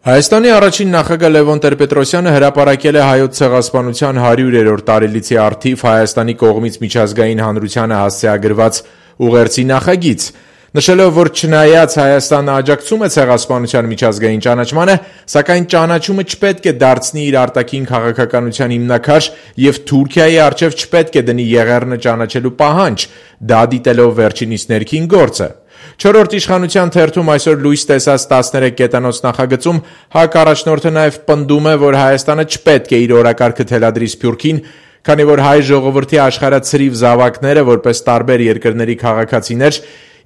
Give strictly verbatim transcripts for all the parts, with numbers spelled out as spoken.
Հայաստանի առաջին նախագահ Լևոն Տեր-Պետրոսյանը հրապարակել է Հայոց ցեղասպանության հարյուրերորդ տարելիցի առթիվ Հայաստանի կողմից միջազգային հանրությանը հասցեագրված ուղերձի նախագիծ, նշելով, որ չնայած Հայաստանը աջակցում է ցեղասպանության միջազգային ճանաչմանը, սակայն ճանաչումը չպետք է դարձնի իր արտաքին քաղաքականության հիմնաքար եւ Թուրքիայի առջեւ չպետք է դնի եղեռնը ճանաչելու պահանջ, դա դիտելով վերջինիս ներքին գործը։ Չորրորդ իշխանության թերթում այսօր լույս տեսած տասներեք կետանոց նախագծում ՀԱԿ առաջնորդը նաև պնդում է, որ Հայաստանը չպետք է իր օրակարգը թելադրի Սփյուռքին, քանի որ հայ ժողովրդի աշխարհացրիվ զավակները, որպես տարբեր երկրների քաղաքացիներ,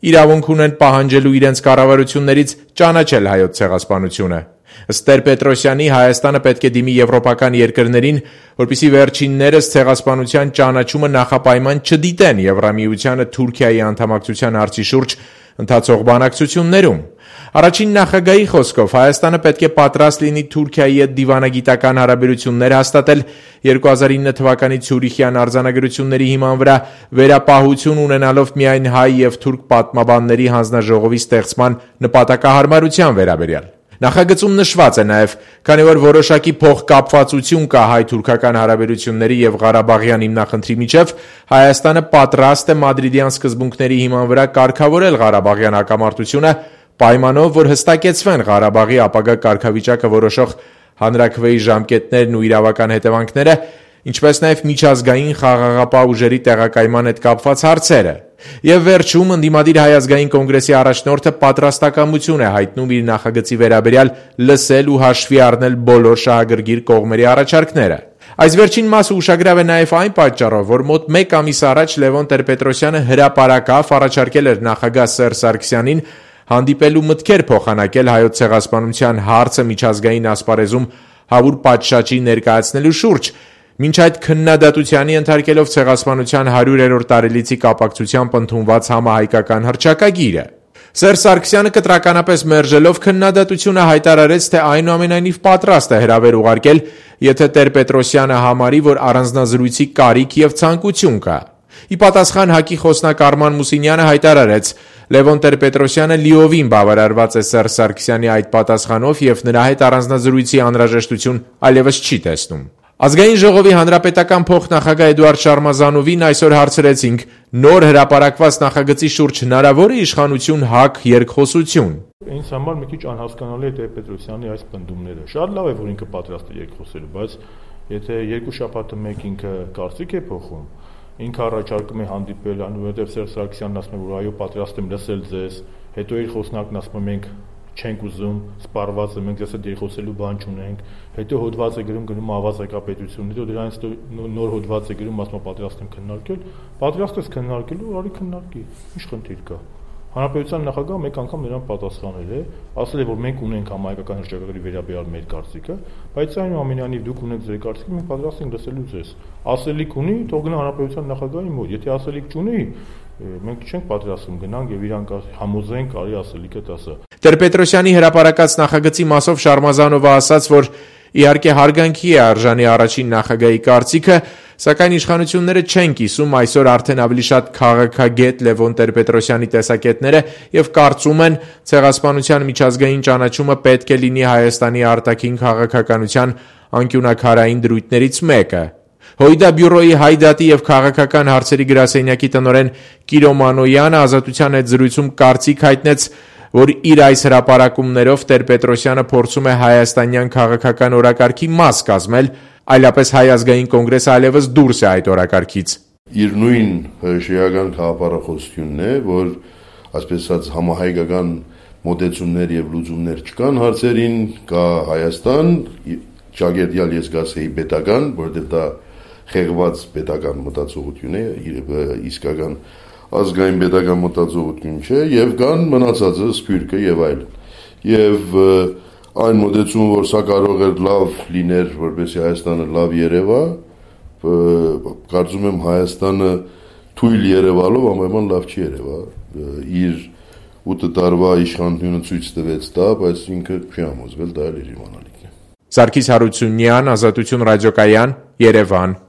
իրավունք ունեն պահանջելու իրենց կառավարություններից ճանաչել հայոց ցեղասպանությունը։ Ըստ Տեր-Պետրոսյանի, Հայաստանը պետք է դիմի եվրոպական երկրներին, որպեսզի վերջիններս ցեղասպանության ճանաչումը նախապայման չդիտեն Եվրամիությանը Թուրքիայի անդամակցության հարցի շուրջ ընթացող բանակցություններում։ Առաջին նախագահի խոսքով Հայաստանը պետք է պատրաստ լինի Թուրքիայի հետ դիվանագիտական հարաբերություններ հաստատել երկու հազար ինը թվականի Ցյուրիխյան արձանագրությունների հիման վրա վերապահություն ունենալով միայն հայ եւ թուրք պատմաբանների հանձնաժողովի ստեղծման նպատակահարմարության վերաբերյալ։ Նախագծում նշված է նաև, քանի որ որոշակի փոխկապվածություն կա հայ-թուրքական հարաբերությունների եւ Ղարաբաղյան հիմնախնդրի միջև, Հայաստանը պատրաստ է մադրիդյան սկզբունքների հիման վրա կարգավորել Ղարաբաղյան հակամարտությունը, պայմանով, որ հստակեցվեն Ղարաբաղի ապագա կարգավիճակը որոշող հանրաքվեի ժամկետներն ու իրավական հետևանքները, ինչպես նաև միջազգային խաղաղապահ ուժերի տեղակայման հետ կապված հարցերը։ Եվ վերջում ընդդիմադիր Հայ ազգային կոնգրեսի առաջնորդը պատրաստակամություն է հայտնում իր նախագծի վերաբերյալ լսել ու հաշվի առնել բոլոր շահագրգիռ կողմերի առաջարկները։ Այս վերջին մասը ուշագրավ է նաև այն պատճառով, որ մոտ մեկ ամիս առաջ Լևոն Տեր-Պետրոսյանը հրապարակավ առաջարկել էր նախագահ Սերժ Սարգսյանին հանդիպելու մտքեր փոխանակել հայոց ցեղասպանության հարցը միջազգային ասպարեզում հավուր պատշաճի ներկայացնելու շուրջ, մինչ այդ քննադատությանի ենթարկելով ցեղասպանության հարյուրերորդ տարելիցի կապակցությամբ ընդունված համահայկական հռչակագիրը։ Սերժ Սարգսյանը կտրականապես մերժելով քննադատությունը հայտարարեց, թե այնուամենայնիվ պատրաստ է հրավեր ուղարկել, եթե Տեր-Պետրոսյանը համարի, որ առանձնազրույցի կարիք եւ ցանկություն կա։ Ի պատասխան ՀԱԿ-ի խոսնակ Արման Մուսինյանը հայտարարեց. Լևոն Տեր-Պետրոսյանը լիովին բավարարված է Սերժ Սարգսյանի այդ պատասխանով եւ նրա հետ առանձնազրույցի անհրաժեշտություն այլևս չի տեսնում։ Ազգային ժողովի հանրապետական փոխնախագահ Էդուարդ Շարմազանովին այսօր հարցրեցինք. նոր հրապարակված նախագծի շուրջ հնարավոր է իշխանություն ՀԱԿ երկխոսություն։ Ինձ համար մի քիչ անհասկանալի է Տեր-Պետրոսյանի այս պնդումները։ Շատ լավ է, որ ինքը պատրաստ է երկխոսելու, բայց եթե երկու շաբաթը մեկ ինքը կարծիք է փոխում, ինքը առաջարկում է հանդիպել, որովհետև Սերժ Սարգսյանն ասում է, որ այո, պատրաստ եմ լսել ձեզ, հետո իր խոսնակն ասում է, մենք չենք ուզում, սպառված է, մենք ձեզ հետ երկխոսելու բան չունենք, հետո հոդված է գրում գնում ավազ եկապետություն, հետո դրանից նոր հոդված է գրում, ասում է պատրաստ եմ քննարկել, պատրաստ ես քննարկելու, արի քննարկի, ինչ խնդիր կա։ Հանրապետության նախագահը մեկ անգամ նրան պատասխանել է, ասել է, որ մենք ունենք համահայկական հռչակագրի վերաբերյալ մեր կարծիքը, բայց այնուամենայնիվ դուք ունեք ձեր կարծիքը, մենք պատրաստ ենք լսելու ձեզ։ Ասելիք ունի, թող գնա հանրապետության նախագահի մոտ, եթե ասելիք չունի, մենք չենք պատրաստվում գնանք եւ իրանք համոզենք, արի ասելիքը տասը։ Տեր-Պետրոսյանի հրապարակած նախագծի մասով Շարմազանովը ասաց, որ իհարկե հարգանքի է արժանի առաջին նախագահի կարծիքը, սակայն իշխանությունները չեն կիսում այսօր արդեն ավելի շատ քաղաքագետ Լևոն Տեր-Պետրոսյանի տեսակետները եւ կարծում են ցեղասպանության միջազգային ճանաչումը պետք է լինի Հայաստանի արտաքին քաղաքականության անկյունակարային դրույթներից մեկը։ Հոյդա բյուրոյի հայ դատի եւ քաղաքական հարցերի գրասենյակի տնօրեն Կիրո Մանոյանը Ազատության հետ զրույցում կարծիք հայտնեց, որ իր այս հրապարակումներով Տեր-Պետրոսյանը փորձում է հայաստանյան քաղաքական օրակարգի մաս կազմել, այլապես Հայ ազգային կոնգրեսը այլևս դուրս է այդ օրակարգից։ Իր նույն շիական քաղաքախոսությունն է, որ այսպես ասած համահայկական մոտեցումներ եւ լուծումներ չկան հարցերին, կա Հայաստան, ճագերտյալ ես գասեի պետական, որովհետեւ դա խեղված պետական մտածողություն է, իսկական ազգային պետական մտածողություն չէ, եւ կան մնացածը Սփյուռքը եւ այլն։ Եվ այն մոտեցումը, որ սա կարող է լավ լիներ, որպեսզի Հայաստանը լավ երևա, կարծում եմ Հայաստանը թույլ երևալով ամենայն լավ չի երևա։ Իր ութ տարվա իշխանությունը ցույց տվեց դա, բայց ինքը չի համոզվել, դա էլ իր իմանալիքն է։ Սարգիս Հարությունյան, Ազատություն ռադիոկայան, Երևան։